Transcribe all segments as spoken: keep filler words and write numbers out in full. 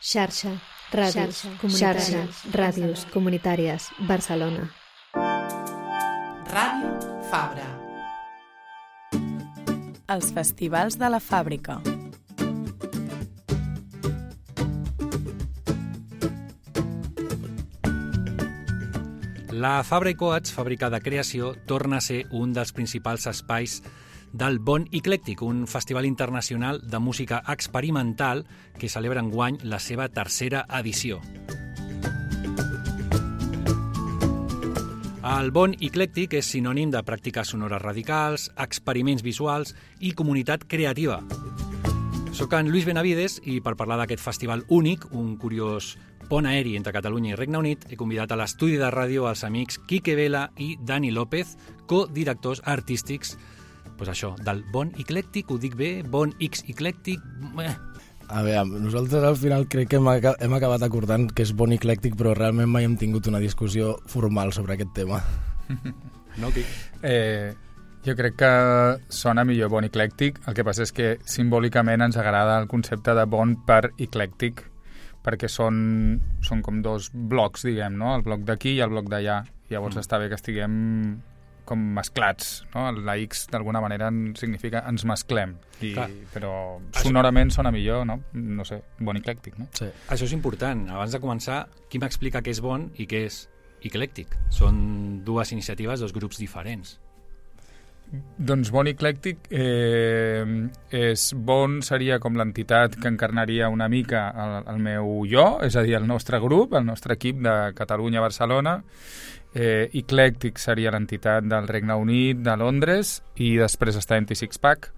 Xarxa, ràdios, comunitàries, ràdios comunitàries, Barcelona. Ràdio Fabra. Els festivals de la fàbrica. La Fabra i Coats, fàbrica de creació, torna a ser un dels principals espais del Bon Eclèctic, un festival internacional de música experimental que celebra enguany la seva tercera edició. El Bon Eclèctic és sinònim de pràctiques sonores radicals, experiments visuals i comunitat creativa. Soc en Lluís Benavides i per parlar d'aquest festival únic, un curiós pont aeri entre Catalunya i Regne Unit, he convidat a l'estudi de ràdio els amics Quique Vela i Dani López, codirectors artístics pues això, del Bon Eclèctic, ho dic bé? Bon X Eclèctic? Eh. A veure, nosaltres al final crec que hem, ac hem acabat acordant que és Bon Eclèctic, però realment mai hem tingut una discussió formal sobre aquest tema. No, Quic? Eh, jo crec que sona millor Bon Eclèctic, el que passa és que simbòlicament ens agrada el concepte de bon per eclèctic, perquè són, són com dos blocs, diguem, no? El bloc d'aquí i el bloc d'allà. Llavors mm. està bé que estiguem com mesclats, no? La X d'alguna manera significa ens mesclem, I, però sonorament sona millor, no? No sé, bon eclèctic, no? Sí. Això és important. Abans de començar, qui m'explica què és bon i què és eclèctic? Són dues iniciatives, dos grups diferents. Doncs Bon Eclèctic eh, és bon, seria com l'entitat que encarnaria una mica el, el meu jo, és a dir, el nostre grup, el nostre equip de Catalunya-Barcelona. Eh, Eclèctic seria l'entitat del Regne Unit, de Londres, i després està Anti-Six Pack,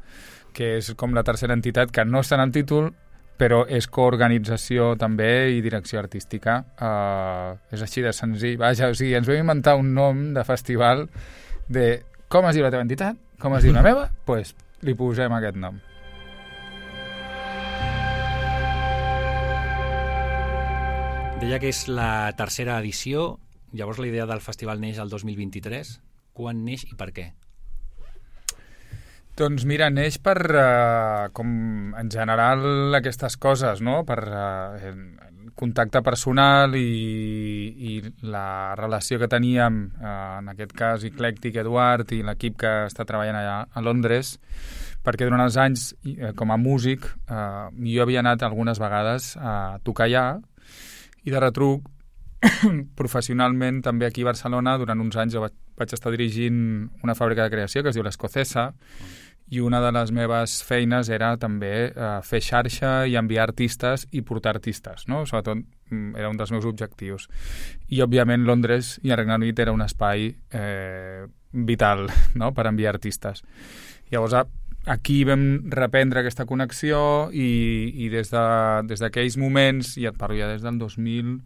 que és com la tercera entitat que no està en el títol, però és coorganització també i direcció artística. Eh, és així de senzill. Vaja, o sigui, ens vam inventar un nom de festival de com es diu la teva entitat, com es diu la meva, doncs pues, li posem aquest nom. Deia que és la tercera edició. Llavors la idea del festival neix el dos mil vint-i-tres. Quan neix i per què? Doncs mira, neix per, uh, com en general aquestes coses, no? Per uh, contacte personal i, i la relació que teníem, uh, en aquest cas Eclèctic, Eduard i l'equip que està treballant allà a Londres, perquè durant els anys, uh, com a músic, uh, jo havia anat algunes vegades a tocar allà i de retruc professionalment també aquí a Barcelona durant uns anys jo vaig, vaig estar dirigint una fàbrica de creació que es diu l'Escocesa i una de les meves feines era també eh, fer xarxa i enviar artistes i portar artistes, no? Sobretot era un dels meus objectius. I òbviament Londres i el Regne Unit era un espai eh, vital, no? Per enviar artistes. Llavors aquí vam reprendre aquesta connexió i, i des de, des d'aquells moments, i et parlo ja des del dos mil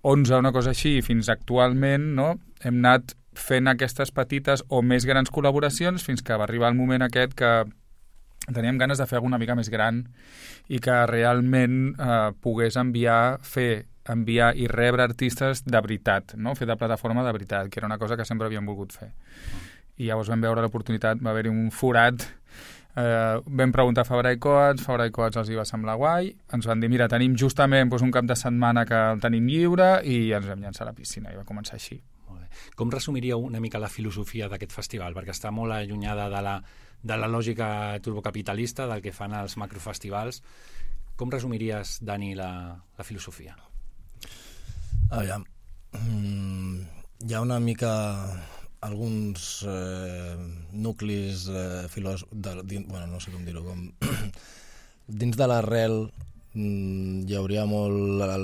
onze, una cosa així, fins actualment, no? Hem anat fent aquestes petites o més grans col·laboracions fins que va arribar el moment aquest que teníem ganes de fer alguna mica més gran i que realment eh, pogués enviar, fer, enviar i rebre artistes de veritat, no? Fer de plataforma de veritat, que era una cosa que sempre havíem volgut fer. I llavors vam veure l'oportunitat, va haver-hi un forat. Eh, vam preguntar a Fabra i Coats, Fabra i Coats els hi va semblar guai, ens van dir, mira, tenim justament doncs, un cap de setmana que el tenim lliure i ens vam llançar a la piscina i va començar així. Molt bé. Com resumiríeu una mica la filosofia d'aquest festival? Perquè està molt allunyada de la, de la lògica turbocapitalista del que fan els macrofestivals. Com resumiries, Dani, la, la filosofia? Aviam, mm, hi ha una mica alguns eh, nuclis eh, filòs... De, din, bueno, no sé com dir-ho, com... dins de l'arrel mm, hi hauria molt la,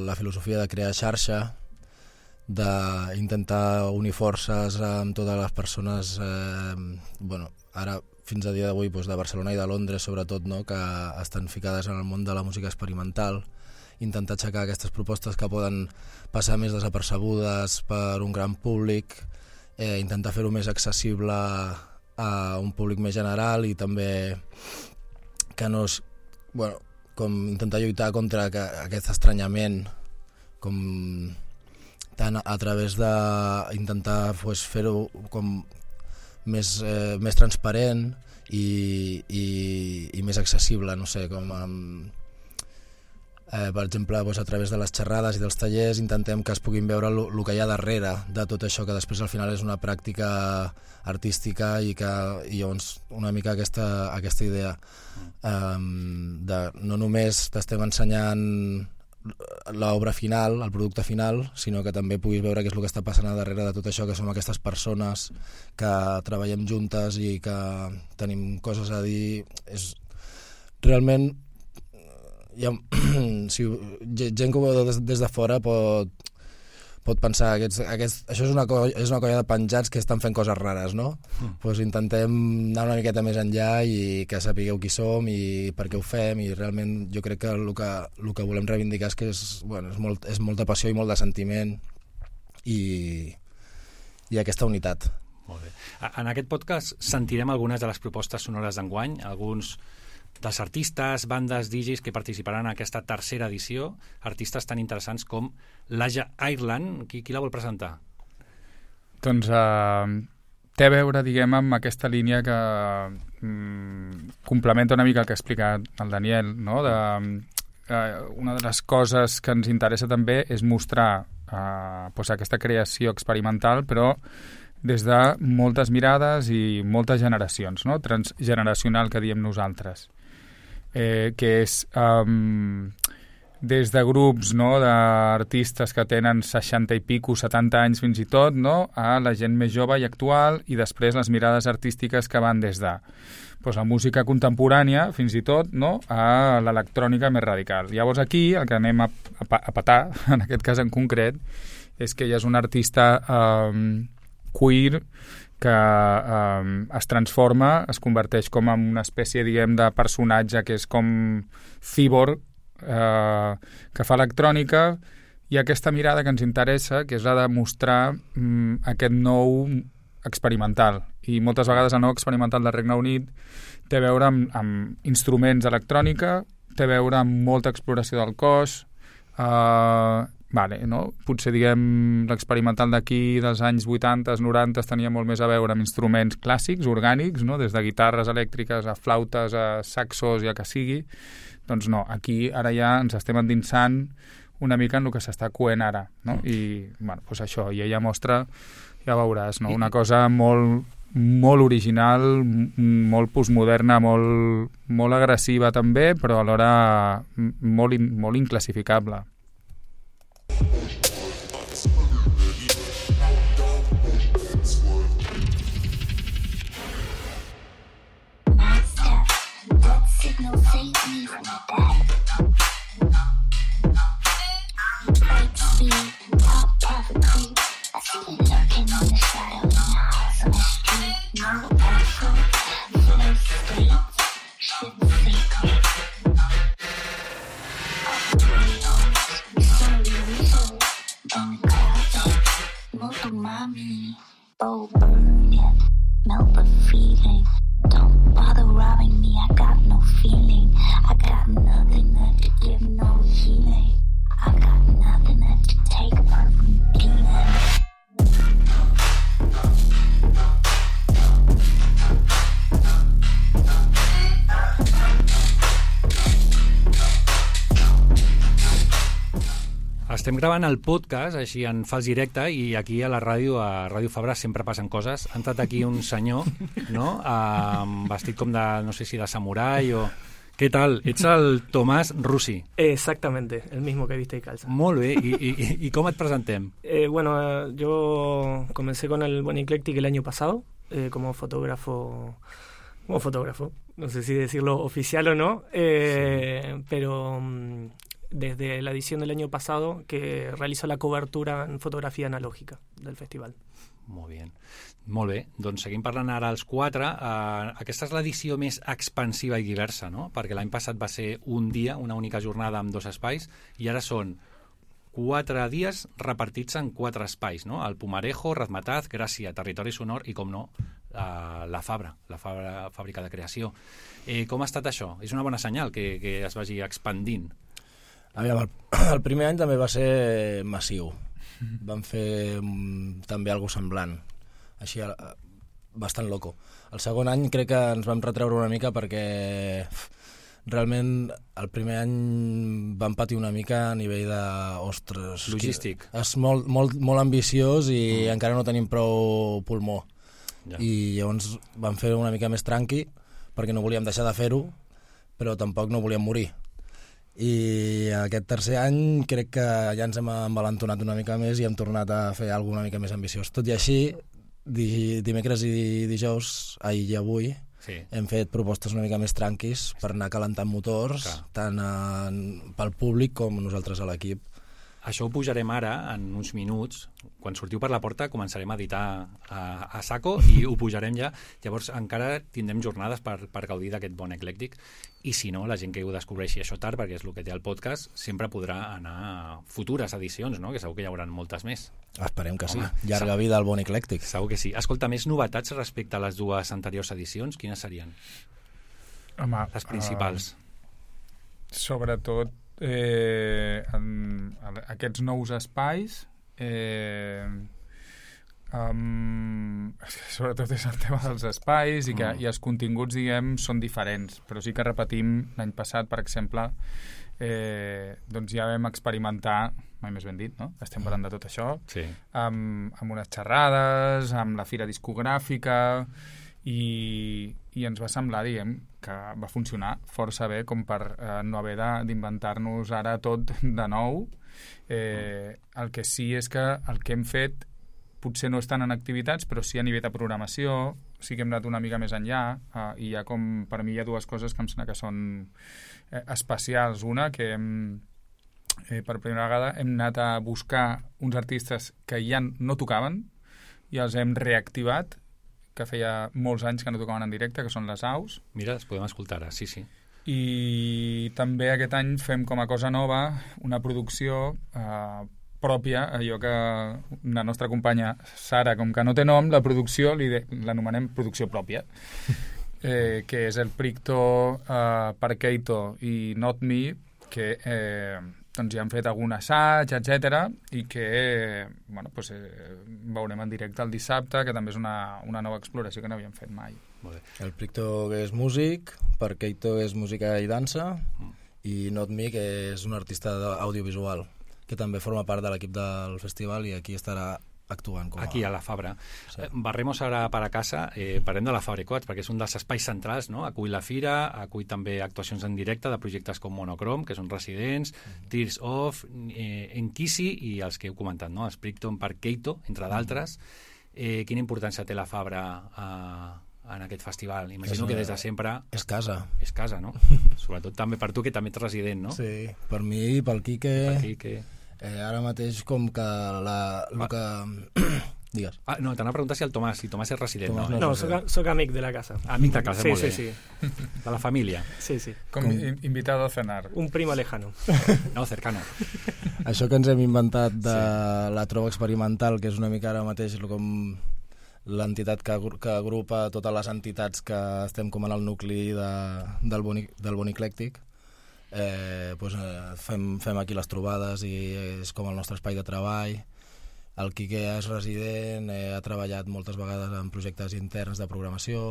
la filosofia de crear xarxa, d'intentar unir forces amb totes les persones, eh, bueno, ara fins a dia d'avui doncs, de Barcelona i de Londres sobretot, no? Que estan ficades en el món de la música experimental, intentar aixecar aquestes propostes que poden passar més desapercebudes per un gran públic, Eh, intentar fer-ho més accessible a un públic més general i també que no és, bueno, com intentar lluitar contra que, aquest estranyament com tant a través d'intentar pues, fer-ho com més, eh, més transparent i, i, i més accessible, no sé, com amb Eh, per exemple, doncs, a través de les xerrades i dels tallers intentem que es puguin veure el que hi ha darrere de tot això, que després al final és una pràctica artística i que i llavors una mica aquesta, aquesta idea um, de no només t'estem ensenyant l'obra final, el producte final, sinó que també puguis veure què és el que està passant a darrere de tot això, que som aquestes persones que treballem juntes i que tenim coses a dir. És realment hi ha, si, gent que ho veu des, des de fora pot, pot pensar que aquests, aquests, això és una, colla, és una colla de penjats que estan fent coses rares, no? Mm. Pues intentem anar una miqueta més enllà i que sapigueu qui som i per què ho fem, i realment jo crec que el que, el que volem reivindicar és que és, bueno, és, molt, és molta passió i molt de sentiment i, i aquesta unitat. Molt bé. En aquest podcast sentirem algunes de les propostes sonores d'enguany, alguns dels artistes, bandes, D Js que participaran en aquesta tercera edició, artistes tan interessants com l'Aja Ireland. Qui, qui la vol presentar? Doncs uh, té a veure, diguem, amb aquesta línia que mm, complementa una mica el que ha explicat el Daniel, no? De, uh, una de les coses que ens interessa també és mostrar uh, pues, aquesta creació experimental, però des de moltes mirades i moltes generacions, no? Transgeneracional, que diem nosaltres. Eh, que és um, des de grups, no, d'artistes que tenen seixanta i pico, setanta anys fins i tot, no, a la gent més jove i actual, i després les mirades artístiques que van des de pues, la música contemporània fins i tot, no, a l'electrònica més radical. Llavors aquí el que anem a, a, a petar, en aquest cas en concret, és que ella és un artista um, queer que eh, es transforma, es converteix com en una espècie, diguem, de personatge que és com cyborg, eh, que fa electrònica, i aquesta mirada que ens interessa, que és la de mostrar mm, aquest nou experimental. I moltes vegades el nou experimental del Regne Unit té a veure amb, amb instruments d'electrònica, té a veure amb molta exploració del cos, eh, Vale, no? Potser, diguem, l'experimental d'aquí dels anys vuitanta, noranta tenia molt més a veure amb instruments clàssics, orgànics, no? Des de guitarres elèctriques a flautes, a saxos i el que sigui. Doncs no, aquí ara ja ens estem endinsant una mica en el que s'està coent ara, no? I, bueno, doncs això, i ella mostra, ja veuràs, no? Una cosa molt, molt original, molt postmoderna, molt, molt agressiva també, però alhora molt, molt inclassificable. Estem gravant el podcast així en fals directe i aquí a la ràdio, a Ràdio Fabra, sempre passen coses. Ha entrat aquí un senyor, no?, um, vestit com de, no sé si de samurai o... ¿Qué tal? Ets el Tomàs Russi. Exactamente, el mismo que viste y calza. Molt bé, i, i, i com et presentem? Eh, bueno, yo comencé con el Buen Eclectic el año pasado, eh, como fotógrafo, como fotógrafo, no sé si decirlo oficial o no, eh, sí. pero um, desde la edición del año pasado que realizó la cobertura en fotografía analógica del festival. Molt bé. Molt bé, doncs seguim parlant ara els quatre. Uh, aquesta és l'edició més expansiva i diversa, no? Perquè l'any passat va ser un dia, una única jornada amb dos espais, i ara són quatre dies repartits en quatre espais, no? El Pumarejo, Razmataz, Gràcia, Territori Sonor i, com no, uh, la Fabra, la Fabra, fàbrica de creació. Eh, com ha estat això? És una bona senyal que, que es vagi expandint. A veure, el, el primer any també va ser massiu. Vam fer um, també alguna semblant, així uh, bastant loco. El segon any crec que ens vam retreure una mica perquè realment el primer any vam patir una mica a nivell de... Ostres... Logístic. És molt, molt, molt ambiciós i mm. encara no tenim prou pulmó. Ja. I llavors vam fer una mica més tranqui perquè no volíem deixar de fer-ho, però tampoc no volíem morir. I aquest tercer any crec que ja ens hem envalentonat una mica més i hem tornat a fer alguna mica més ambiciós. Tot i així, di, dimecres i dijous, ahir i avui, sí. hem fet propostes una mica més tranquis per anar calentant motors, Clar. tant en, pel públic com nosaltres a l'equip. Això ho pujarem ara, en uns minuts. Quan sortiu per la porta començarem a editar a, a saco i ho pujarem ja. Llavors encara tindrem jornades per, per gaudir d'aquest bon eclèctic. I si no, la gent que ho descobreixi això tard, perquè és el que té el podcast, sempre podrà anar a futures edicions, no? Que segur que hi haurà moltes més. Esperem que sí. Home, Llarga segur. vida al bon eclèctic. Segur que sí. Escolta, més novetats respecte a les dues anteriors edicions, quines serien? Home, les principals. Uh, sobretot Eh, en, en aquests nous espais eh, um, sobretot és el tema dels espais i que mm. i els continguts, diguem, són diferents, però sí que repetim l'any passat, per exemple, eh, doncs ja vam experimentar, mai més ben dit, no? Estem parlant de tot això, sí. amb, amb unes xerrades, amb la fira discogràfica, i, i ens va semblar, diguem, que va funcionar força bé com per eh, no haver d'inventar-nos ara tot de nou. Eh, el que sí és que el que hem fet potser no estan en activitats, però sí a nivell de programació, sí que hem anat una mica més enllà, eh, i hi ha com, per mi hi ha dues coses que em sembla que són eh, especials. Una, que hem, eh, per primera vegada hem anat a buscar uns artistes que ja no tocaven i els hem reactivat, que feia molts anys que no tocaven en directe, que són les aus. Mira, les podem escoltar ara, sí, sí. I també aquest any fem com a cosa nova una producció eh, pròpia, allò que la nostra companya Sara, com que no té nom, la producció l'anomenem producció pròpia, eh, que és el Pricto, eh, Parkeito i Not Me, que eh, doncs ja han fet algun assaig, etcètera, i que bueno, pues, eh, veurem en directe el dissabte, que també és una, una nova exploració que no havíem fet mai. Molt bé. El Pricto, que és músic, Parkeito és música i dansa, mm. i Not Me, que és un artista audiovisual, que també forma part de l'equip del festival i aquí estarà actuant. Com a... Aquí, a la Fabra. Sí. Eh, barremos ara per a casa, eh, parlem de la Fabra Coats, perquè és un dels espais centrals, no? Acull la fira, acull també actuacions en directe de projectes com Monochrome, que són residents, mm-hmm. Tears Off, eh, Enkisi i els que heu comentat, no? Sprigton, Parkeito, entre d'altres. Eh, quina importància té la Fabra eh, en aquest festival? Imagino és, que des de sempre... És casa. És casa, no? Sobretot també per tu, que també ets resident, no? Sí, per mi i pel Quique... Per Quique... Eh, ara mateix com que la, el que... Digues. Ah, no, t'anava a preguntar si el Tomàs, si Tomàs és resident. Tomàs no, no, soc, soc amic de la casa. Amic de casa, sí, molt sí, bé. Sí, sí. De la família. Sí, sí. Com, com... invitado a cenar. Un primo lejano. No, cercano. Això que ens hem inventat de sí. la trova experimental, que és una mica ara mateix com l'entitat que, que agrupa totes les entitats que estem com en el nucli de, del, boni, del Bon Eclèctic. Eh, doncs, eh, fem, fem aquí les trobades i és com el nostre espai de treball. El Quique és resident, eh, ha treballat moltes vegades en projectes interns de programació,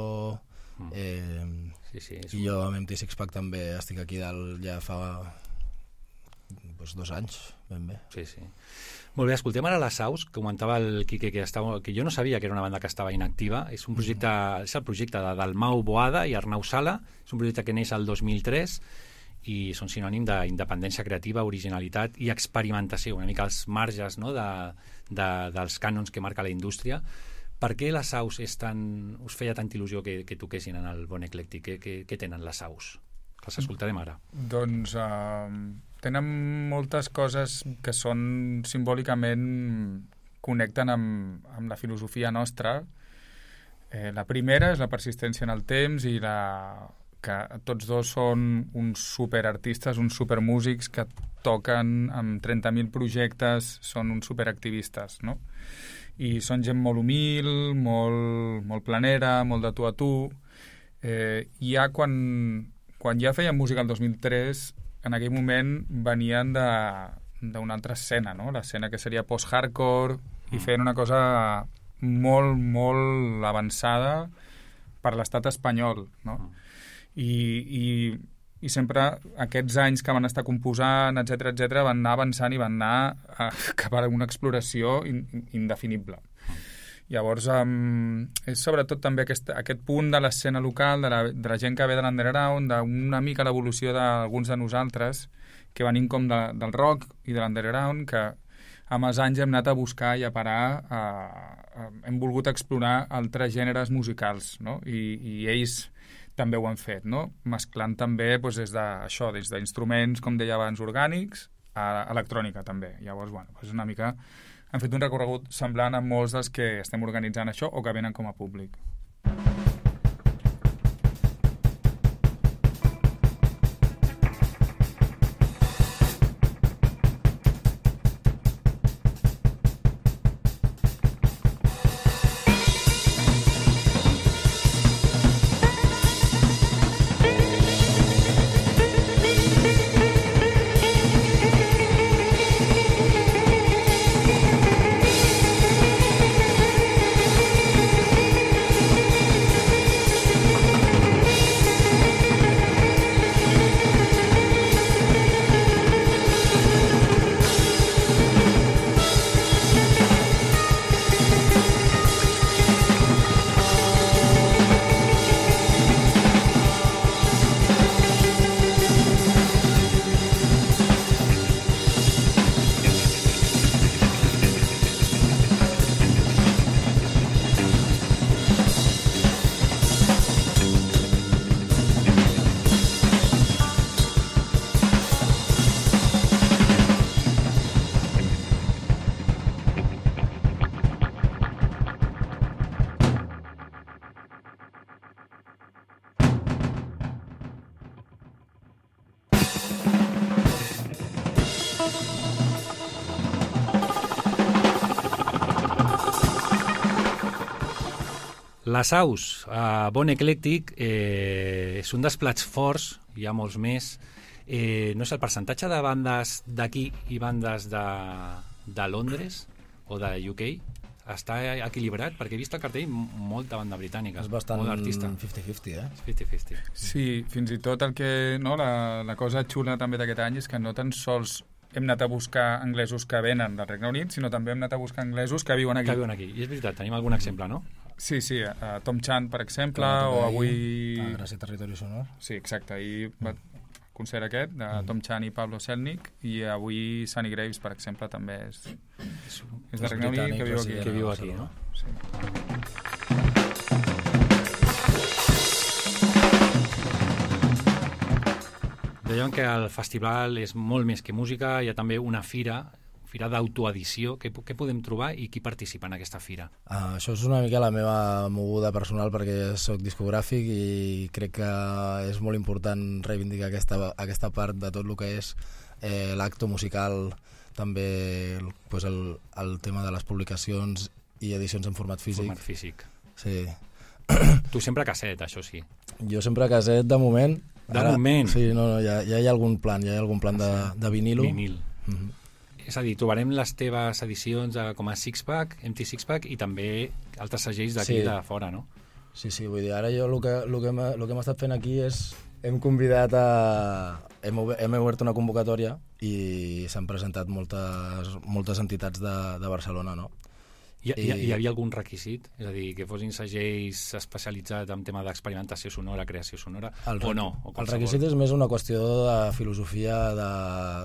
mm. eh, sí, sí, i jo amb M T Six Pack també estic aquí dalt ja fa doncs, dos anys, ben bé. Sí, sí. Molt bé, escoltem ara les Aus, que comentava el Quique, que, estava, que jo no sabia que era una banda que estava inactiva. És un projecte, mm. és el projecte de Dalmau Boada i Arnau Sala, és un projecte que neix el dos mil tres i són sinònim d'independència creativa, originalitat i experimentació, una mica als marges, no?, de, de, dels cànons que marca la indústria. Per què les Aus és tan, us feia tanta il·lusió que, que toquessin en el Bon Eclèctic? Què, què, què tenen les Aus? Les escoltarem ara. Doncs uh, tenen moltes coses que són simbòlicament connecten amb, amb la filosofia nostra. Eh, la primera és la persistència en el temps i la... que tots dos són uns superartistes, uns supermúsics que toquen amb trenta mil projectes, són uns superactivistes, no? I són gent molt humil, molt, molt planera, molt de tu a tu. Eh, ja quan, quan ja feien música el dos mil tres, en aquell moment venien d'una altra escena, no? L'escena que seria post-hardcore, i feien una cosa molt, molt avançada per l'estat espanyol, no? I, i i sempre aquests anys que van estar composant, etcètera, etcètera, van anar avançant i van anar a, cap a una exploració in, indefinible. Llavors, um, és sobretot també aquest, aquest punt de l'escena local, de la, de la gent que ve de l'underground, d'una mica l'evolució d'alguns de nosaltres, que venim com de, del rock i de l'underground, que amb els anys hem anat a buscar i a parar, uh, hem volgut explorar altres gèneres musicals, no? I, i ells també ho han fet, no? Mesclant també doncs, des d'això, des d'instruments, com deia abans, orgànics, a electrònica també. Llavors, bueno, és una mica... Han fet un recorregut semblant a molts dels que estem organitzant això o que venen com a públic. Les aus, a Bon Eclèctic, eh, és un dels plats forts, hi ha molts més. Eh, no sé, el percentatge de bandes d'aquí i bandes de, de Londres o de U K està equilibrat, perquè he vist al cartell molta banda britànica, és bastant molt artista. cinquanta cinquanta, eh? cinquanta cinquanta. Sí, fins i tot el que, no, la, la cosa xula també d'aquest any és que no tan sols hem anat a buscar anglesos que venen del Regne Unit, sinó també hem anat a buscar anglesos que viuen aquí. Que viuen aquí. I és veritat, tenim algun exemple, no? Sí, sí, uh, Tom Chan, per exemple, o avui... Ah, Gràcia Territori Sonor. Sí, exacte, ahir va concert aquest, de mm. Tom Chan i Pablo Selnik, i avui Sunny Graves, per exemple, també és, és, és de Regne Unit, que viu aquí. Que viu aquí, no? Sí. Dèiem que el festival és molt més que música, hi ha també una fira, fira d'autoedició. Què, què podem trobar i qui participa en aquesta fira? Ah, això és una mica la meva moguda personal, perquè soc discogràfic i crec que és molt important reivindicar aquesta, aquesta part de tot el que és eh, l'acto musical, també pues, el, el tema de les publicacions i edicions en format físic. Format físic. Sí. Tu sempre casset, això sí. Jo sempre casset, de moment. De Ara, moment? Sí, no, no, ja, ja hi ha algun plan, ja hi ha algun plan de, de vinilo. Vinil. Mm-hmm. És a dir, trobarem les teves edicions eh, com a Sixpack, Empty Sixpack, i també altres segells d'aquí sí. de fora, no? Sí, sí, vull dir, ara jo el que, el que, hem, el que hem estat fent aquí és... Hem convidat a... Hem, hem obert una convocatòria i s'han presentat moltes, moltes entitats de, de Barcelona, no? Hi, I... hi havia algun requisit? És a dir, que fossin segells especialitzats en tema d'experimentació sonora, creació sonora, el, o no? O el requisit és més una qüestió de filosofia, de,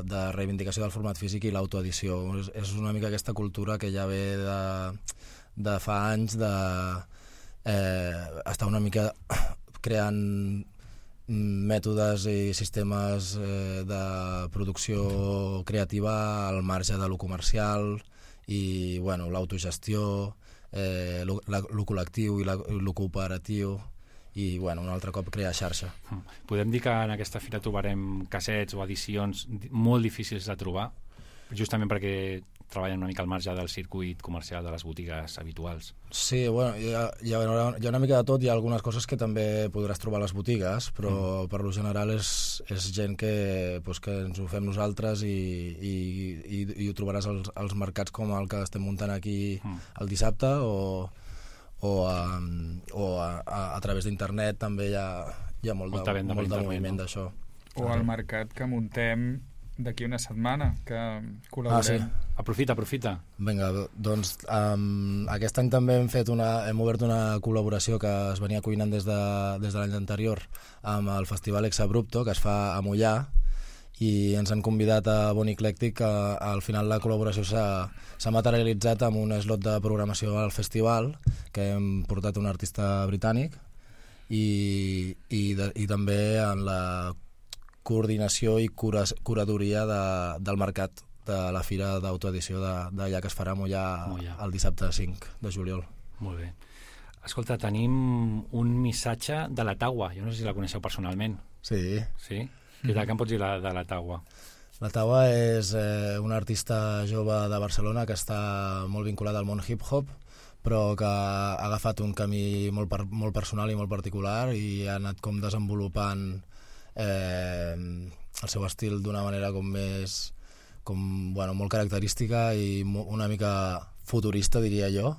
de reivindicació del format físic i l'autoedició. És, és una mica aquesta cultura que ja ve de, de fa anys de eh, estar una mica creant mètodes i sistemes eh, de producció creativa al marge de lo comercial, i bueno, l'autogestió, eh, lo, la, lo col·lectiu i la, lo cooperatiu, i bueno, un altre cop crear xarxa. Podem dir que en aquesta fira trobarem cassets o edicions molt difícils de trobar, justament perquè treballen una mica al marge del circuit comercial de les botigues habituals. Sí, bueno, hi ha, hi, ha, hi ha una mica de tot, hi ha algunes coses que també podràs trobar a les botigues, però mm. per lo general és, és gent que, pues, que ens ho fem nosaltres i, i, i, i ho trobaràs als, als mercats com el que estem muntant aquí mm. el dissabte, o, o, a, o a, a, a través d'internet també hi ha, hi ha molt, Molta de, molt de moviment, no? D'això. O el mercat que muntem d'aquí una setmana, que col·laborem. Ah, sí. Aprofita, aprofita. Vinga, doncs um, aquest any també hem fet una, hem obert una col·laboració que es venia cuinant des de, des de l'any anterior amb el Festival Exabrupto, que es fa a Mollà, i ens han convidat a Bon Eclèctic, que al final la col·laboració s'ha materialitzat amb un slot de programació al festival, que hem portat un artista britànic, i, i, de, i també en la coordinació i cura, curadoria de, del mercat de la fira d'autoedició d'allà que es farà a Mollà, Mollà el dissabte cinc de juliol. Molt bé. Escolta, tenim un missatge de la Taua. Jo no sé si la coneixeu personalment. Sí. Sí? Què tal, què em pots dir la, de la Taua? La Taua és eh, un artista jove de Barcelona que està molt vinculat al món hip-hop, però que ha agafat un camí molt, per, molt personal i molt particular i ha anat com desenvolupant eh, el seu estil d'una manera com més com, bueno, molt característica i una mica futurista, diria jo,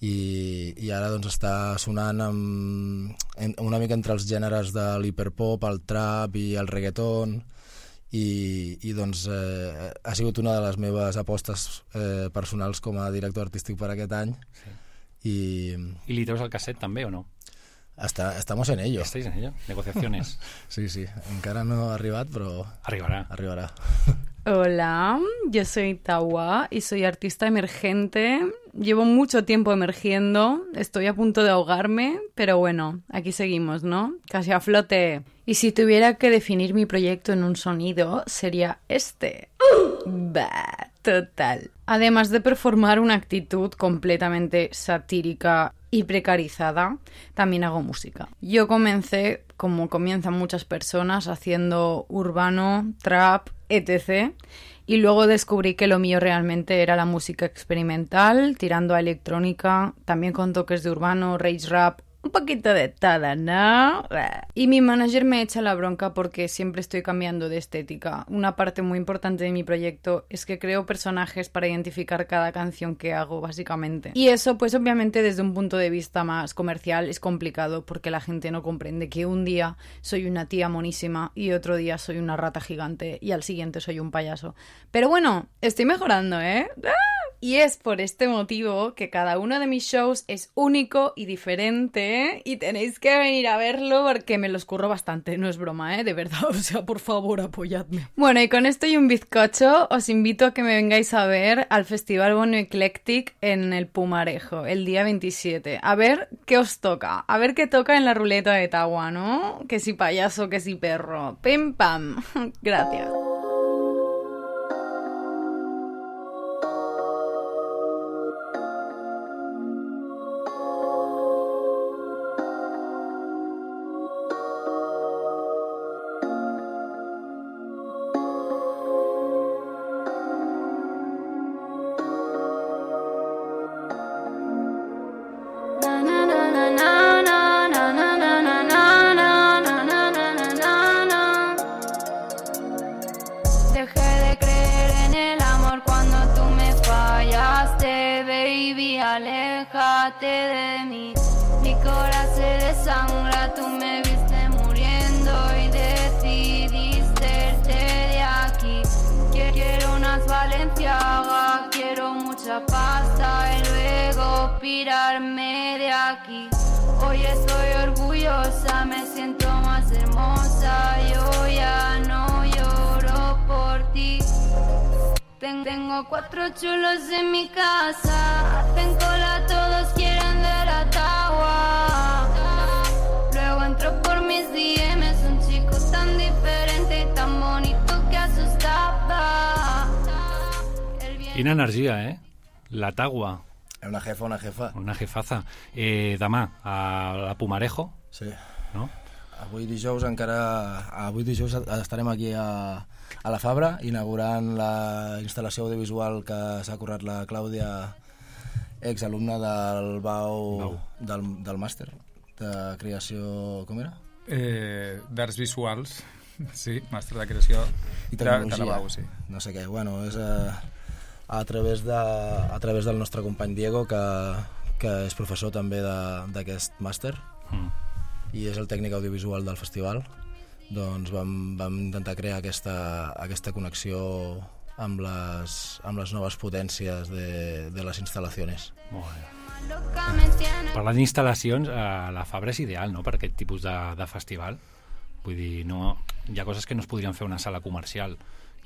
i, i ara doncs està sonant amb, en, una mica entre els gèneres de l'hiperpop, el trap i el reggaeton, i, i doncs eh, ha sigut una de les meves apostes eh, personals com a director artístic per aquest any. Sí. I, I li treus el casset també o no? Está, estamos en ello. ¿Estáis en ello? Negociaciones. Sí, sí. Encara no ha arribat, pero... Arribará. Arribará. Hola, yo soy Taua y soy artista emergente. Llevo mucho tiempo emergiendo, estoy a punto de ahogarme, pero bueno, aquí seguimos, ¿no? Casi a flote. Y si tuviera que definir mi proyecto en un sonido, sería este. Bah, total. Además de performar una actitud completamente satírica y precarizada, también hago música. Yo comencé, como comienzan muchas personas, haciendo urbano, trap, etcétera. Y luego descubrí que lo mío realmente era la música experimental, tirando a electrónica, también con toques de urbano, rage rap, un poquito de todo, ¿no? Y mi manager me echa la bronca porque siempre estoy cambiando de estética. Una parte muy importante de mi proyecto es que creo personajes para identificar cada canción que hago, básicamente. Y eso, pues obviamente desde un punto de vista más comercial es complicado porque la gente no comprende que un día soy una tía monísima y otro día soy una rata gigante y al siguiente soy un payaso. Pero bueno, estoy mejorando, ¿eh? ¡Ah! Y es por este motivo que cada uno de mis shows es único y diferente y tenéis que venir a verlo porque me los curro bastante, no es broma, ¿eh? De verdad, o sea, por favor, apoyadme. Bueno, y con esto y un bizcocho os invito a que me vengáis a ver al Festival Bon Eclèctic en el Pumarejo, el día veintisiete. A ver qué os toca, a ver qué toca en la ruleta de Taua, ¿no? Que si payaso, que si perro. Pim pam. Gracias. Aléjate de mí, mi corazón se desangra, tú me viste muriendo y decidiste irte de aquí. Quiero unas Balenciaga, quiero mucha pasta y luego pirarme de aquí. Hoy estoy orgullosa, me siento más hermosa, yo ya no lloro por ti. Tengo cuatro chulos en mi casa, hacen cola, todos quieren ver a Taua. Luego entro por mis D Ms, un chico tan diferente y tan bonito que asustaba. Quina energia, eh? La Taua. Una jefa, una jefa. Una jefaza. Eh, demà, a la Pumarejo. Sí. No? Avui dijous encara... Avui dijous estarem aquí a... a la Fabra, inaugurant la instal·lació audiovisual que s'ha currat la Clàudia, exalumna del B A U, no. del, del màster de creació... Com era? Eh, D'arts visuals, sí, màster de creació i tecnologia, de la B A U, sí. No sé què, bueno, és a, a, través de, a través del nostre company Diego, que, que és professor també d'aquest màster, mm. i és el tècnic audiovisual del festival. doncs vam, vam intentar crear aquesta, aquesta connexió amb les, amb les noves potències de, de les instal·lacions. Molt bé. Parlant d'instal·lacions, eh, la Fabra és ideal, no?, per aquest tipus de, de festival. Vull dir, no, hi ha coses que no es podrien fer a una sala comercial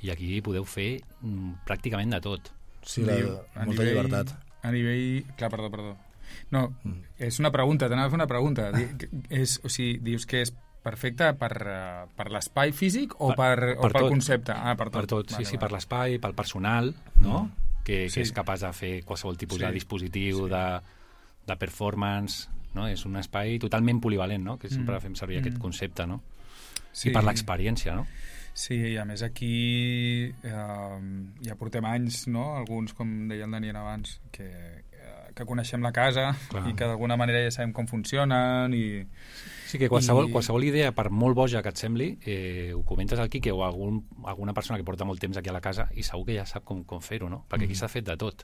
i aquí podeu fer mm, pràcticament de tot. Sí, la, molta nivell, llibertat. A nivell... Clar, perdó, perdó. No, mm. és una pregunta, t'anava a fer una pregunta. és, o sigui, dius que és perfecte per, uh, per l'espai físic o per, per, o per pel concepte? Ah, per tot. Per tot, sí, vale, sí, vale. Per l'espai, pel personal, no?, mm. que, que sí. és capaç de fer qualsevol tipus sí. de dispositiu, sí. de, de performance, no? És un espai totalment polivalent, no?, que sempre mm. fem servir mm. aquest concepte, no? Sí. I per l'experiència, no? Sí, i a més aquí eh, ja portem anys, no?, alguns, com deia el Daniel abans, que, que coneixem la casa Clar. I que d'alguna manera ja sabem com funcionen i... Sí, que qualsevol, i... qualsevol idea, per molt boja que et sembli, eh, ho comentes al Quique o a algun, alguna persona que porta molt temps aquí a la casa i segur que ja sap com, com fer-ho, no? Perquè aquí mm. s'ha fet de tot.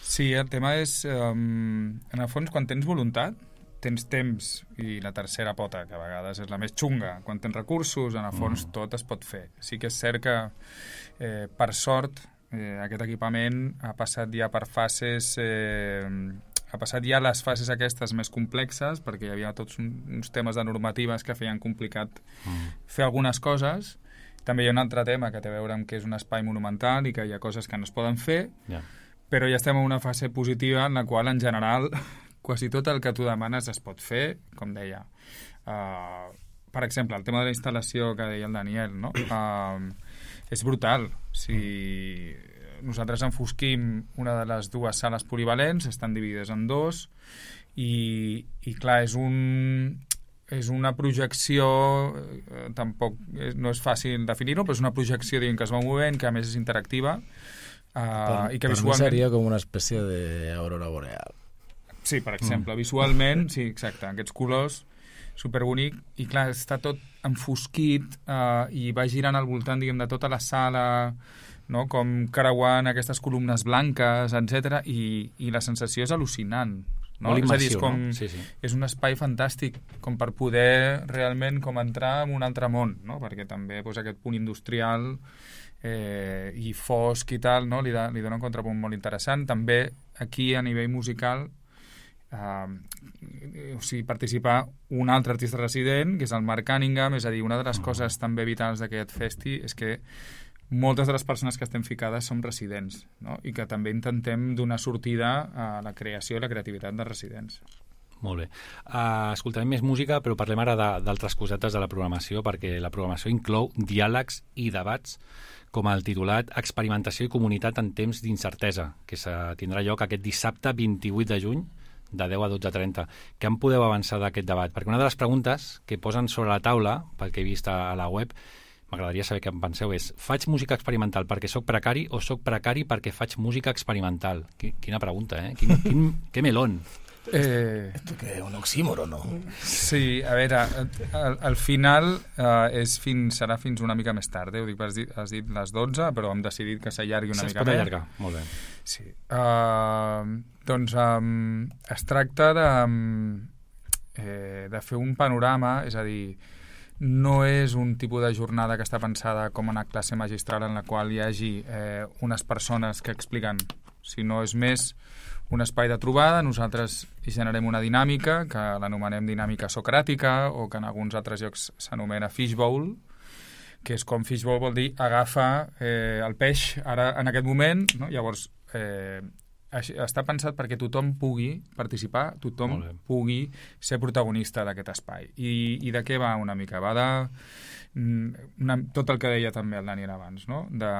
Sí, el tema és, um, en el fons, quan tens voluntat, tens temps, i la tercera pota, que a vegades és la més xunga, quan tens recursos, en el fons mm. tot es pot fer. Sí que és cert que, eh, per sort, eh, aquest equipament ha passat ja per fases... Eh, ha passat ja les fases aquestes més complexes, perquè hi havia tots uns temes de normatives que feien complicat mm. fer algunes coses. També hi ha un altre tema que té a veure amb que és un espai monumental i que hi ha coses que no es poden fer, yeah. però ja estem en una fase positiva en la qual, en general, quasi tot el que tu demanes es pot fer, com deia. Uh, per exemple, el tema de la instal·lació que deia el Daniel, no? Uh, és brutal. Si nosaltres enfosquim una de les dues sales polivalents, estan dividides en dos, i, i clar, és un... és una projecció, eh, tampoc eh, no és fàcil definir-ho, però és una projecció diguem, que es va movent, que a més és interactiva, eh, per, i que per visualment... mi seria com una espècie d'aurora boreal. Sí, per exemple, mm. visualment, sí, exacte, aquests colors, superbonic, i clar, està tot enfosquit eh, i va girant al voltant, diguem, de tota la sala, no? Com creuant aquestes columnes blanques, etcètera, i, i la sensació és al·lucinant. No? Molt immersiu, és a dir, és, com, no? Sí, sí. És un espai fantàstic com per poder realment com entrar en un altre món, no? Perquè també pues, aquest punt industrial eh, i fosc i tal, no? li, da, li dona un contrapunt molt interessant. També aquí a nivell musical eh, o sigui, participar un altre artista resident, que és el Mark Cunningham, és a dir, una de les oh. coses també vitals d'aquest festi és que moltes de les persones que estem ficades som residents, no? I que també intentem donar sortida a la creació i la creativitat de residents. Molt bé. Uh, escoltarem més música, però parlem ara d'altres cosetes de la programació, perquè la programació inclou diàlegs i debats com el titulat Experimentació i comunitat en temps d'incertesa, que tindrà lloc aquest dissabte vint-i-vuit de juny, de deu a dotze trenta. Què em podeu avançar d'aquest debat? Perquè una de les preguntes que posen sobre la taula, pel que he vist a la web, m'agradaria saber què em penseu, és faig música experimental perquè sóc precari o sóc precari perquè faig música experimental? Quina pregunta, eh? Quin, quin, que melón. Eh... Esto que és un oxímoron, no? Sí, a veure, al, al final eh, és fins, serà fins una mica més tard, eh? Ho dic, has dit, has dit les dotze, però hem decidit que s'allargui una mica més. Es pot allargar, molt bé. Sí. Uh, doncs um, es tracta de, eh, de fer un panorama, és a dir, no és un tipus de jornada que està pensada com una classe magistral en la qual hi hagi eh, unes persones que expliquen, sinó és més un espai de trobada. Nosaltres hi generem una dinàmica que l'anomenem dinàmica socràtica o que en alguns altres llocs s'anomena fishbowl, que és com fishbowl vol dir agafa eh, el peix ara en aquest moment, no? Llavors eh, està pensat perquè tothom pugui participar, tothom pugui ser protagonista d'aquest espai. I, i de què va una mica? Va de una, tot el que deia també el Daniel abans, no? de,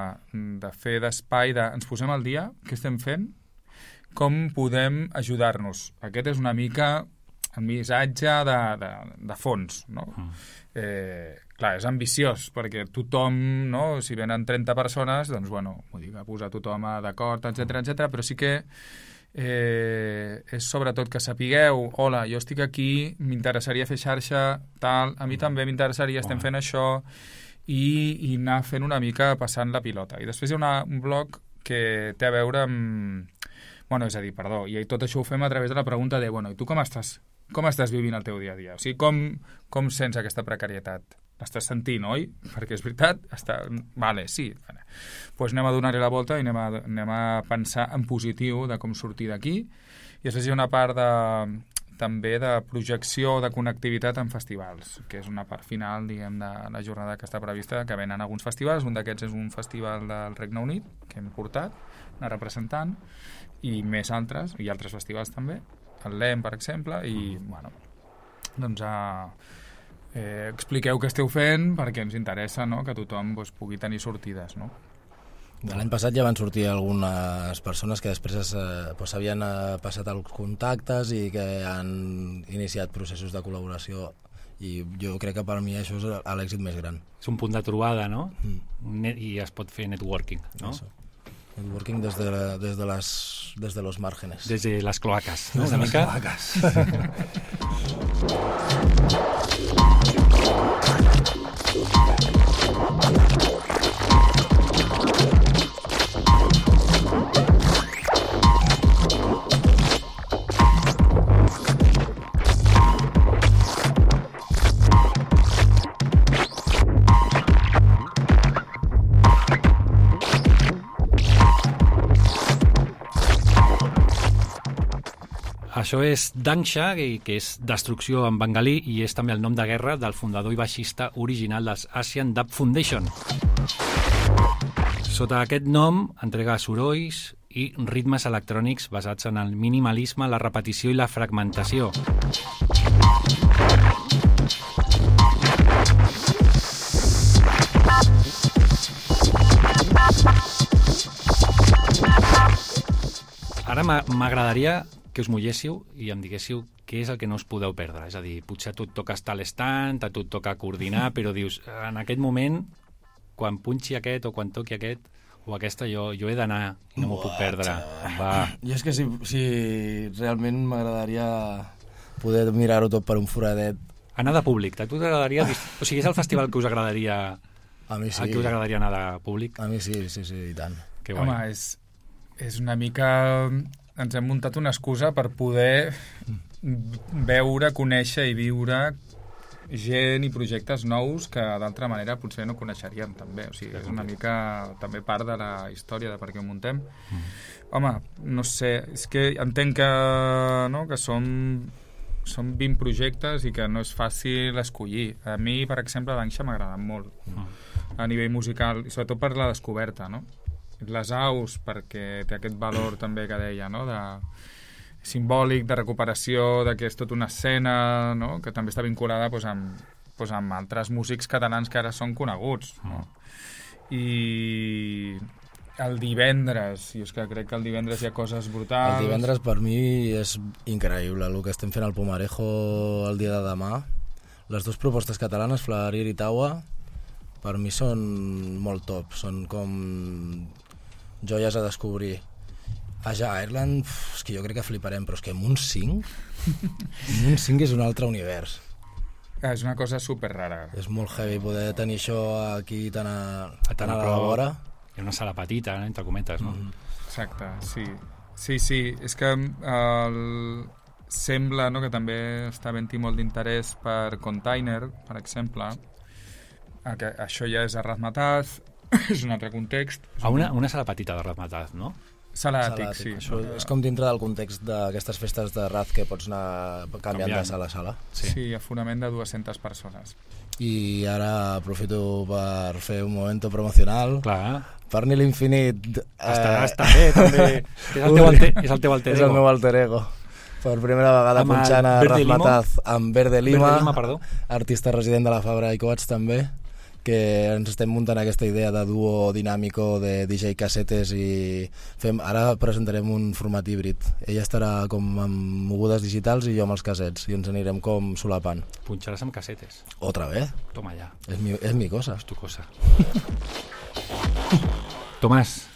de fer d'espai, de, ens posem al dia, què estem fent, com podem ajudar-nos. Aquest és una mica el missatge de, de, de fons, no? Mm. Eh, clar, és ambiciós, perquè tothom, no? Si venen trenta persones, doncs, bueno, vull dir que posar tothom d'acord, etcètera, etcètera, però sí que eh, és sobretot que sapigueu, hola, jo estic aquí, m'interessaria fer xarxa, tal, a mi també m'interessaria, estem fent això, i, i anar fent una mica passant la pilota. I després hi ha una, un bloc que té a veure amb... Bueno, és a dir, perdó, i tot això ho fem a través de la pregunta de, bueno, i tu com estàs com estàs vivint el teu dia a dia? O sigui, com, com sents aquesta precarietat? L'estàs sentint, oi? Perquè és veritat, està... Vale, sí. Vale. Pues anem a donar-hi la volta i anem a, anem a pensar en positiu de com sortir d'aquí. I després hi ha una part de, també de projecció de connectivitat en festivals, que és una part final, diguem, de la jornada que està prevista, que venen alguns festivals. Un d'aquests és un festival del Regne Unit, que hem portat, una representant, i més altres, i altres festivals també, el L E M, per exemple, i, bueno, doncs, eh, eh, expliqueu què esteu fent perquè ens interessa, no?, que tothom doncs, pugui tenir sortides, no? L'any passat ja van sortir algunes persones que després s'havien eh, doncs, passat els contactes i que han iniciat processos de col·laboració, i jo crec que per mi això és l'èxit més gran. És un punt de trobada, no? Mm. I es pot fer networking, no? Eso. Networking des de, la, des, de les, des de los márgenes. Des de les cloaques, no? Des de Una les mica? cloaques. Això és Dangsha, que és destrucció en bengalí, i és també el nom de guerra del fundador i baixista original dels Asian Dub Foundation. Sota aquest nom entrega sorolls i ritmes electrònics basats en el minimalisme, la repetició i la fragmentació. Ara m'agradaria que us mulléssiu i em diguéssiu què és el que no us podeu perdre. És a dir, potser a tu et toca estar a l'estand, a tu et toca coordinar, però dius, en aquest moment, quan punxi aquest o quan toqui aquest o aquesta, jo, jo he d'anar i no m'ho puc perdre. Va. Jo és que si, si realment m'agradaria poder mirar-ho tot per un foradet. Anar de públic, a tu t'agradaria... O sigui, és el festival que us agradaria... A mi sí. A qui us agradaria anar de públic? A mi sí, sí, sí, i tant. Que guai. Home, és, és una mica... Ens hem muntat una excusa per poder veure, conèixer i viure gent i projectes nous que d'altra manera potser no coneixeríem també, o sigui, és una mica també part de la història de per què ho muntem. Mm. Home, no sé, és que entenc que, no, que som, som vint projectes i que no és fàcil escollir. A mi, per exemple, Dangsha m'ha agradat molt mm. a nivell musical, i sobretot per la descoberta, no? Les aus, perquè té aquest valor també que deia, no?, de simbòlic, de recuperació, de que és tota una escena, no?, que també està vinculada doncs, amb, doncs, amb altres músics catalans que ara són coneguts, no? I el divendres, i és que crec que el divendres hi ha coses brutals. El divendres per mi és increïble el que estem fent al Pumarejo el dia de demà. Les dues propostes catalanes, Flarir i Taua, per mi són molt top, són com joies a descobrir. Aja Ireland, uf, és que jo crec que fliparem, però és que Moonsing Moonsing és un altre univers. És una cosa super rara. És molt heavy poder tenir això aquí tan a, tan a la vora. Hi ha una sala petita, entre cometes, no? Mm. Exacte, sí. Sí, sí, és que el... sembla, no?, que també està havent-hi molt d'interès per Container, per exemple. Que això ja és a Razmataz, és un altre context. A una, una sala petita de Razmataz, no? Sala àtic, sí. Això és com dintre del context d'aquestes festes de Raz que pots anar canviant, canviant. de sala a sala. Sí, sí, aforament de dues-centes persones. I ara aprofito per fer un momento promocional. Clar. Per Ni l'Infinit. Està, eh... està bé, també. És el teu alter, és el teu alter ego. És el meu alter ego. Per primera vegada amb punxant a Razmataz amb Verde Lima, Verde Lima, perdó. Artista resident de la Fabra i Coats també, que ens estem muntant aquesta idea de duo dinàmico de D J casetes i fem, ara presentarem un format híbrid. Ella estarà com amb mogudes digitals i jo amb els casets i ens anirem com solapant. Punxaràs amb casetes. Otra vez? Toma ya. És mi, és mi cosa. És tu cosa. Tomás,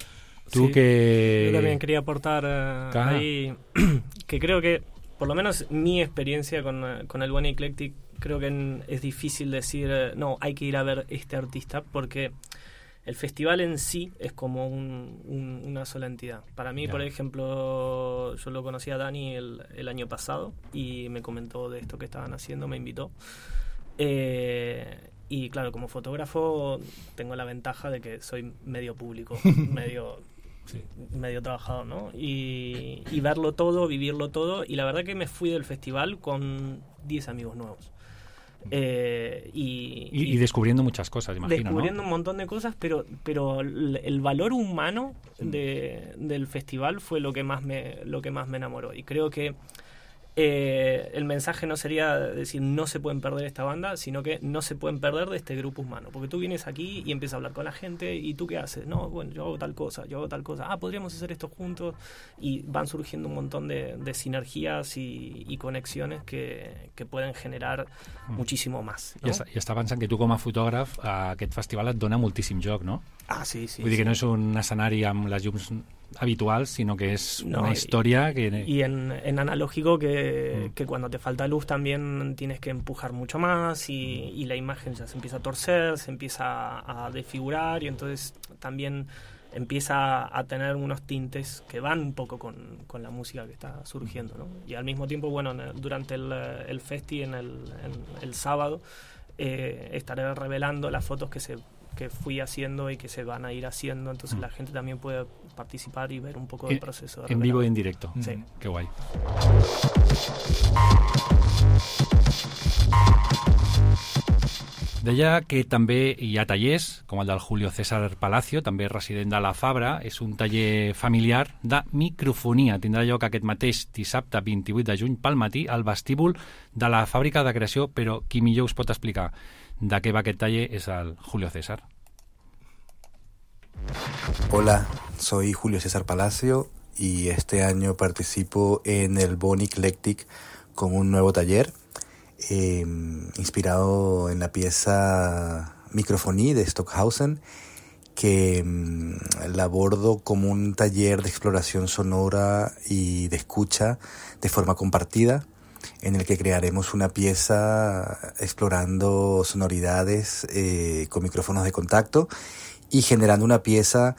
tú sí, que... Yo también quería aportar uh, ahí que creo que, por lo menos mi experiencia con, uh, con el One Eclectic, creo que en, es difícil decir, uh, no, hay que ir a ver este artista, porque el festival en sí es como un, un, una sola entidad. Para mí, yeah. por ejemplo, yo lo conocí a Dani el, el año pasado y me comentó de esto que estaban haciendo, me invitó. Eh, y claro, como fotógrafo tengo la ventaja de que soy medio público, medio, sí. medio trabajador, ¿no? Y, y verlo todo, vivirlo todo. Y la verdad que me fui del festival con diez amigos nuevos. Eh, y, y, y descubriendo muchas cosas, imagino, descubriendo ¿no? un montón de cosas, pero pero el valor humano de, del festival fue lo que más me lo que más me enamoró. Y creo que eh, el mensaje no sería decir no se pueden perder esta banda, sino que no se pueden perder de este grupo humano, porque tú vienes aquí y empiezas a hablar con la gente y tú qué haces, no, bueno, yo hago tal cosa, yo hago tal cosa, ah, podríamos hacer esto juntos, y van surgiendo un montón de, de sinergias y, y conexiones que, que pueden generar mm. muchísimo más, no? I, està, I està pensant que tu com a fotògraf a aquest festival et dona moltíssim joc, no? Ah, sí, sí. Vull dir sí. que no és un escenari amb les llums habituals, sino que es no, una historia y, que... Y en, en analógico que, mm. que cuando te falta luz también tienes que empujar mucho más y, y la imagen ya se empieza a torcer, se empieza a desfigurar y entonces también empieza a tener unos tintes que van un poco con, con la música que está surgiendo, ¿no? Y al mismo tiempo, bueno, durante el, el festi, en el, en el sábado, eh, estaré revelando las fotos que se que fui haciendo y que se van a ir haciendo, entonces mm. la gente también puede participar y ver un poco del proceso. De en vivo y en directo. Sí. Mm. Qué guay. Deia que també hi ha tallers, com el del Julio César Palacio, també resident de la Fabra. És un taller familiar de microfonia. Tindrà lloc aquest mateix dissabte vint-i-vuit de juny pel matí al vestíbul de la Fàbrica de Creació, però qui millor us pot explicar de qué va aquest taller es al Julio César. Hola, soy Julio César Palacio y este año participo en el Bonnie Eclectic con un nuevo taller eh, inspirado en la pieza Microfonie de Stockhausen, que eh, la abordo como un taller de exploración sonora y de escucha de forma compartida, en el que crearemos una pieza explorando sonoridades eh, con micrófonos de contacto y generando una pieza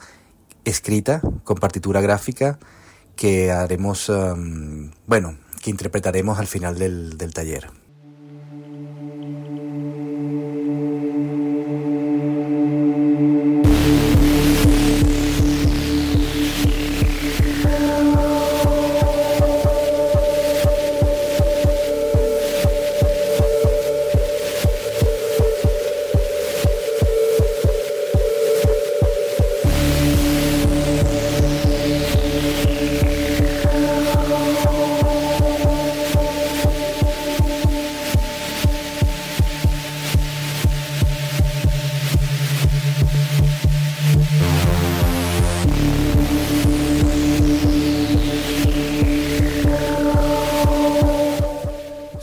escrita con partitura gráfica que haremos, um, bueno, que interpretaremos al final del, del taller.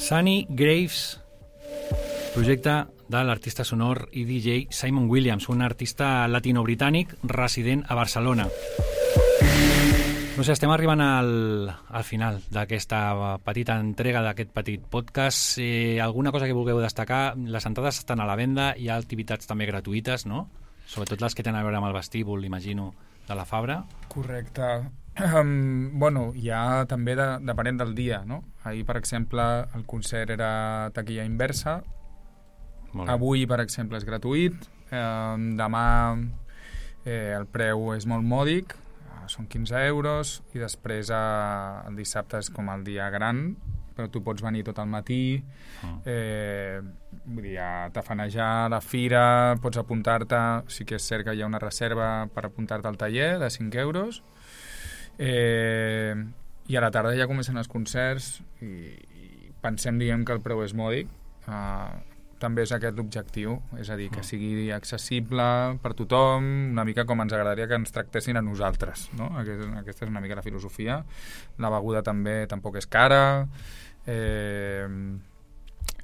Sunny Graves, projecte de l'artista sonor i D J Simon Williams, un artista latino-britànic resident a Barcelona. No sé, estem arribant al, al final d'aquesta petita entrega d'aquest petit podcast. Eh, alguna cosa que vulgueu destacar? Les entrades estan a la venda, hi ha activitats també gratuïtes, no? Sobretot les que tenen a veure amb el vestíbul, imagino, de la Fabra. Correcte. Um, bueno, hi ha també de, depenent del dia, no? Ahir, per exemple, el concert era taquilla inversa. Avui, per exemple, és gratuït. Eh, demà eh, el preu és molt mòdic, eh, són quinze euros, i després eh, el dissabte és com el dia gran, però tu pots venir tot el matí, eh, vull dir, a tafanejar la fira, pots apuntar-te, sí que és cert que hi ha una reserva per apuntar-te al taller de cinc euros, eh, i a la tarda ja comencen els concerts i, i pensem, diguem, que el preu és mòdic. Eh, també és aquest l'objectiu, és a dir, que sigui accessible per tothom, una mica com ens agradaria que ens tractessin a nosaltres, no? Aquest, aquesta és una mica la filosofia. La beguda també tampoc és cara. Eh,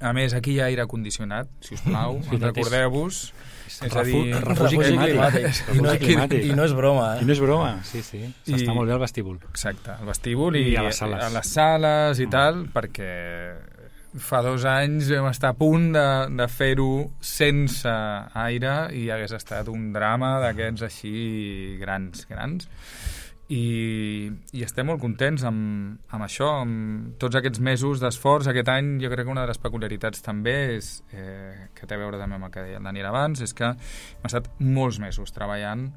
a més, aquí hi ha aire condicionat, si us plau, sí, recordeu-vos. És, és a dir, refugi climàtic. I no, climàtic. I no és broma, eh? I no és broma, sí, sí. S'està molt bé al vestíbul. Exacte, al vestíbul i, I a les sales, a les sales i mm. tal, perquè fa dos anys vam estar a punt de, de fer-ho sense aire i hagués estat un drama d'aquests així grans, grans. I, i estem molt contents amb, amb això, amb tots aquests mesos d'esforç. Aquest any jo crec que una de les peculiaritats també és, eh, que té a veure també amb el que deia el Daniel abans, és que hem estat molts mesos treballant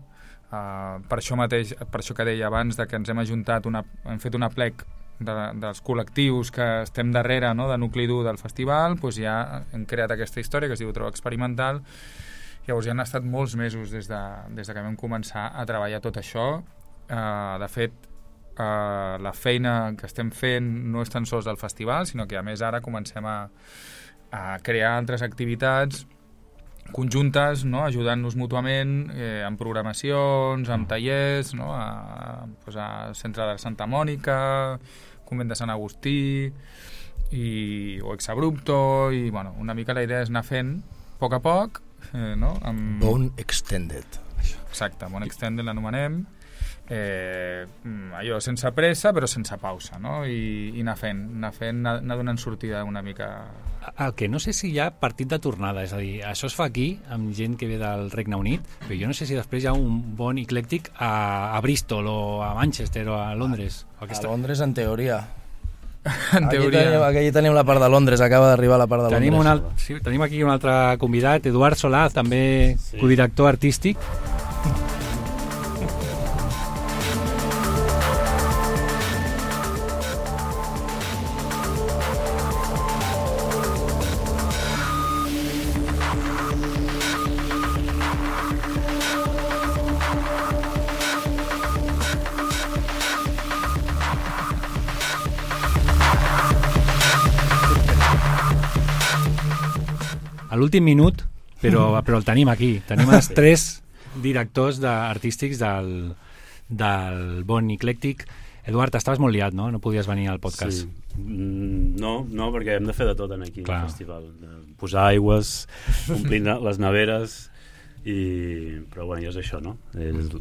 uh, per això mateix, per això que deia abans, de que ens hem ajuntat, una, hem fet una plec de, dels col·lectius que estem darrere, no?, de nucli dur del festival, doncs ja hem creat aquesta història que es diu Trova Experimental. Llavors ja han estat molts mesos des de, des de que vam començar a treballar tot això. Uh, de fet, uh, la feina que estem fent no és tan sols del festival, sinó que a més ara comencem a, a crear altres activitats conjuntes, no?, ajudant-nos mútuament, eh, amb programacions, amb tallers, no?, a, pues a Centre de Santa Mònica, Convent de Sant Agustí i, o Exabrupto, i bueno, una mica la idea és anar fent a poc a poc, eh, no?, amb... Bone Extended. Exacte, Bone Extended l'anomenem. Eh, allò sense pressa però sense pausa, no? I, i anar fent, anar fent, anar, anar donant sortida una mica. El que no sé si hi ha partit de tornada, és a dir, això es fa aquí amb gent que ve del Regne Unit, però jo no sé si després hi ha un bon eclèctic a, a Bristol o a Manchester o a Londres. A, a Londres en teoria. En teoria. Aquí tenim, aquí tenim la part de Londres, acaba d'arribar la part de tenim Londres. Un al... sí, tenim aquí un altre convidat, Eduard Solà, també sí. Codirector artístic. A l'últim minut, però, però el tenim aquí. Tenim els tres directors de, artístics del, del Bon Eclèctic. Eduard, estaves molt liat, no? No podies venir al podcast. Sí. No, no, perquè hem de fer de tot aquí Clar. al festival. Posar aigües, omplir les neveres, i... però bueno, ja és això, no? És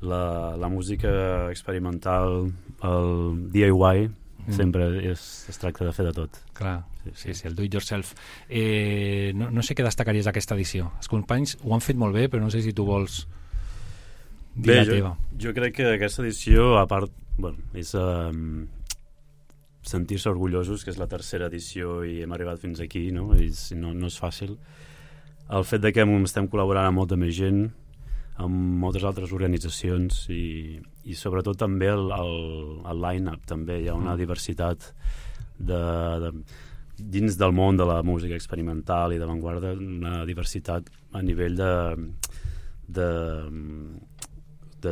la, la música experimental, el D I Y, mm. sempre és, es tracta de fer de tot. Clar. Sí, sí, el do it yourself. Eh, no, no sé què destacaries d'aquesta edició. Els companys ho han fet molt bé, però no sé si tu vols dir bé, la jo, teva. Jo crec que aquesta edició, a part, bueno, és um, sentir-se orgullosos, que és la tercera edició i hem arribat fins aquí, no? I no, no és fàcil. El fet de que estem col·laborant amb molta més gent, amb moltes altres organitzacions i, i sobretot també el, el, el line-up, també hi ha una mm. diversitat de... de dins del món de la música experimental i d'avantguarda, una diversitat a nivell de de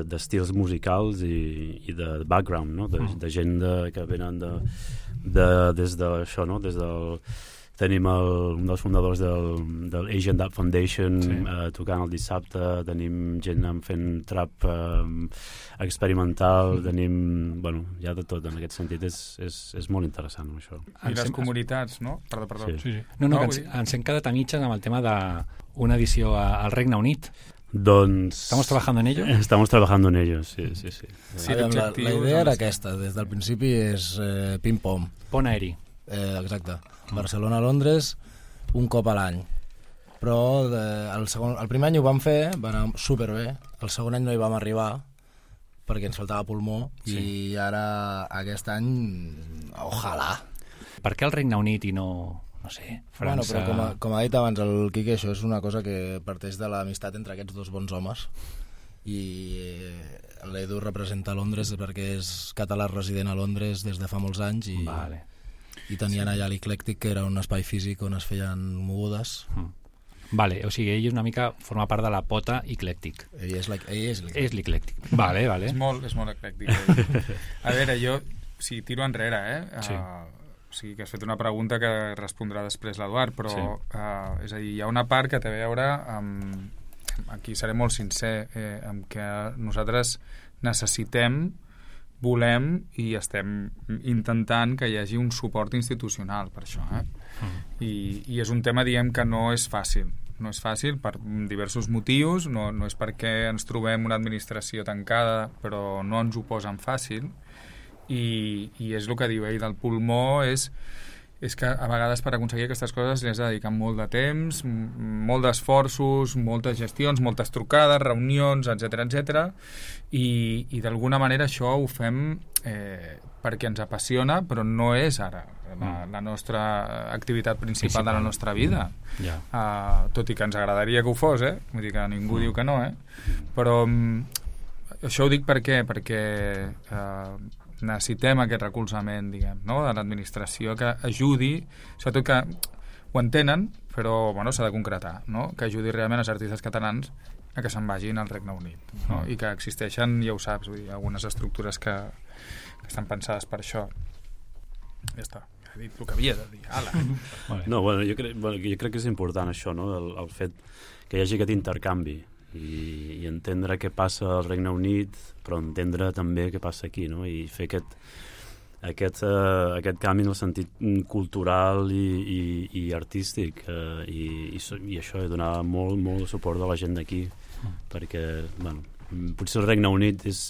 d'estils de, musicals i, i de background, no? de, de gent de, que venen de, de, des de això, no? Des del tenim el, un dels fundadors del, del Asian Dub Foundation, sí. eh, tocant el dissabte, tenim gent fent trap eh, experimental, mm. tenim, bueno, hi ha de tot en aquest sentit, és, és, és molt interessant això. I les comunitats, no? Perdó, perdó. Sí. Sí, sí. No, no, no ens, ens hem quedat a mitges amb el tema d'una edició al Regne Unit. Doncs... ¿Estamos trabajando en ello? Estamos trabajando en ello, sí, sí, sí. sí la, la, la idea era aquesta, des del principi és eh, ping-pong. Pont aeri. Eh, exacte. Barcelona-Londres un cop a l'any. Però de, el, segon, el primer any ho vam fer, va anar superbé. El segon any no hi vam arribar perquè ens faltava pulmó, sí. I ara aquest any, ojalà. Per què el Regne Unit i no... no sé, França... Bueno, però com ha, com ha dit abans el Quique, això és una cosa que parteix de l'amistat entre aquests dos bons homes, i l'Edu representa Londres perquè és català resident a Londres des de fa molts anys, i, vale. i tenien allà l'Eclèctic, que era un espai físic on es feien mogudes. Mm. Vale, o sigui, ell una mica forma part de la pota eclèctic. Ell és l'eclèctic. És l'eclèctic. Vale, vale. És molt, és molt eclèctic. A veure, jo, si tiro enrere, eh? Sí. Uh, o sigui, que has fet una pregunta que respondrà després l'Eduard, però sí. uh, és a dir, hi ha una part que té a veure amb, aquí seré molt sincer, eh, amb que nosaltres necessitem, volem i estem intentant que hi hagi un suport institucional per això, eh? Mm. I, i és un tema, diem, que no és fàcil. No és fàcil per diversos motius, no, no és perquè ens trobem una administració tancada, però no ens ho posen fàcil, i, i és el que diu ell del pulmó, és és que a vegades per aconseguir aquestes coses li has de dedicar molt de temps, molt d'esforços, moltes gestions, moltes trucades, reunions, etcètera, etcètera, i, i d'alguna manera això ho fem eh, perquè ens apassiona, però no és ara la, la nostra activitat principal, principal de la nostra vida. Yeah. Uh, tot i que ens agradaria que ho fos, eh? Vull dir que ningú mm. diu que no, eh? Però um, això ho dic perquè, perquè uh, necessitem aquest recolzament, diguem, no? De l'administració que ajudi, sobretot que ho entenen, però bueno, s'ha de concretar, no? Que ajudi realment els artistes catalans a que se'n vagin al Regne Unit, no? I que existeixen, ja ho saps, vull dir, algunes estructures que, que estan pensades per això. Ja està, he dit el que havia de dir. Ala. No, bueno, jo, crec, bueno, jo crec que és important això, no? el, el fet que hi hagi aquest intercanvi i, i entendre què passa al Regne Unit, però entendre també què passa aquí, no? I fer aquest, aquest, uh, aquest canvi en el sentit cultural i, i, i artístic, uh, i, i, i això, donar molt, molt suport a la gent d'aquí, mm. perquè, bueno, potser el Regne Unit és,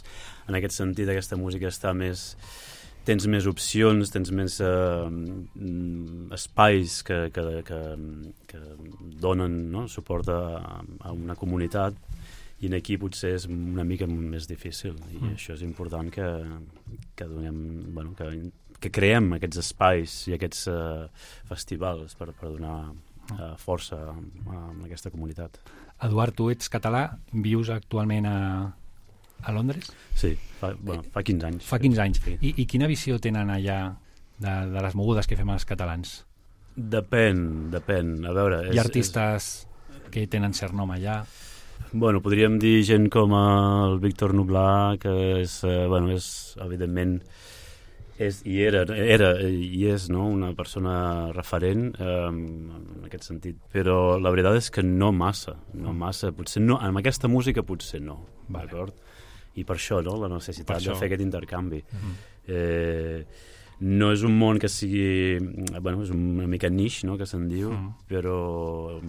en aquest sentit, aquesta música està més... tens més opcions, tens més uh, espais que, que, que, que donen, no? Suport a, a una comunitat, i aquí potser és una mica més difícil, i mm. això és important que, que donem, bueno, que, que creem aquests espais i aquests uh, festivals per, per donar uh, força a, a aquesta comunitat. Eduard, tu ets català, vius actualment a, a Londres? Sí, fa, bueno, fa quinze anys. Fa quinze anys. Sí. I, I quina visió tenen allà de, de les mogudes que fem els catalans? Depèn, depèn. A veure... Hi ha artistes és... que tenen cert nom allà? Bueno, podríem dir gent com el Víctor Nublar, que és, eh, bueno, és, evidentment, és, i era, era i és, no?, una persona referent eh, en aquest sentit, però la veritat és que no massa, no massa, potser no, amb aquesta música potser no, vale. D'acord? I per això, no?, la necessitat de fer aquest intercanvi. Mm-hmm. eh, no és un món que sigui... Bueno, és una mica niche, no?, que se'n diu, mm. però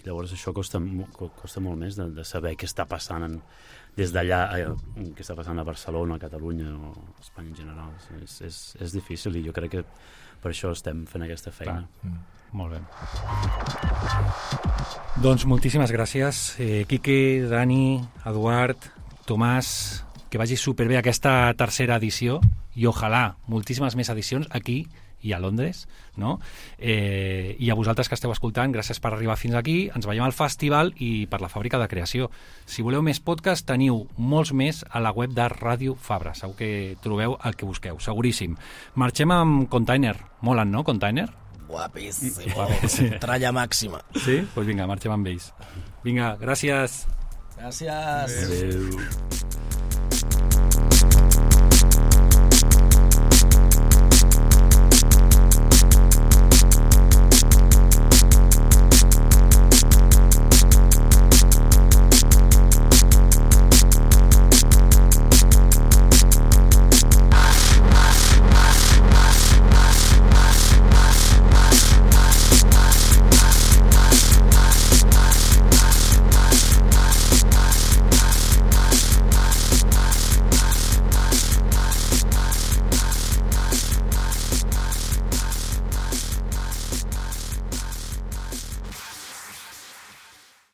llavors això costa, costa molt més de, de saber què està passant en, des d'allà, eh, què està passant a Barcelona, a Catalunya o a Espanya en general. És, és, és difícil, i jo crec que per això estem fent aquesta feina. Mm. Molt bé. Doncs moltíssimes gràcies, eh, Quique, Dani, Eduard, Tomàs, que vagi superbé aquesta tercera edició, i ojalà moltíssimes més edicions aquí i a Londres, no? Eh, i a vosaltres que esteu escoltant, gràcies per arribar fins aquí, ens veiem al festival i per la Fàbrica de Creació. Si voleu més podcast, teniu molts més a la web de Ràdio Fabra, segur que trobeu el que busqueu, seguríssim. Marxem amb Container, molen, no, Container? Guapíssim, sí. Tralla màxima. Sí? Doncs pues vinga, marxem amb ells. Vinga, gràcies. Gràcies. Adéu.